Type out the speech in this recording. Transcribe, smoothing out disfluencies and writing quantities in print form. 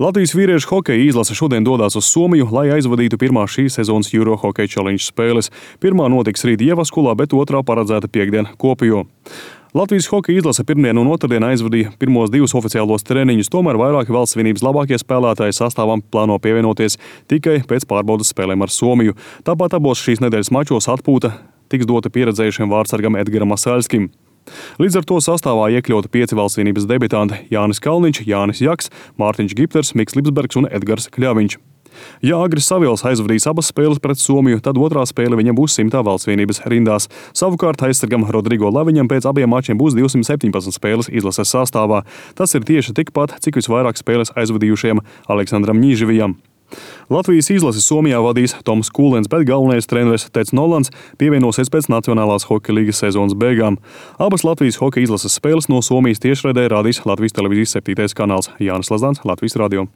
Latvijas vīriešu hokeja izlase šodien dodas uz Somiju, lai aizvadītu pirmās šīs sezonas Euro Hockey Challenge spēles. Pirmā notiks rīt Ievaskulā, bet otrā paredzēta piekdien Kuopijā. Latvijas hokeja izlase pirmdien un otrdien aizvadīja pirmos divus oficiālos treniņus, tomēr vairāki valsts vienības labākie spēlētāji sastāvam plāno pievienoties tikai pēc pārbaudas spēlēm ar Somiju. Tāpat abos šīs nedēļas mačos atpūta tiks dota pieredzējušiem vārtsargam Edgaram Masaļskim. Līdz ar to sastāvā iekļauti 5 valstsvienības debitanti – Jānis Kalniņš, Jānis Jaks, Mārtiņš Gipters, Miks Lipsbergs un Edgars Kļaviņš. Ja Agris Savils aizvadīs abas spēles pret Somiju, tad otrā spēle viņam būs 100. valstsvienības rindās. Savukārt aizsargam Rodrigo Laviņam pēc abiem mačiem būs 217 spēles izlases sastāvā. Tas ir tieši tikpat, cik visvairāk spēles aizvadījušiem Aleksandram Ņīživijam. Latvijas izlasi Somijā vadīs Toms Kūlens, bet galvenais treneris Teds Nolans pievienosies pēc Nacionālās hokeja līgas sezonas beigām. Abas Latvijas hokeja izlases spēles no Somijas tiešraidē rādīs Latvijas televīzijas 7. kanāls. Jānis Lazdāns, Latvijas radio.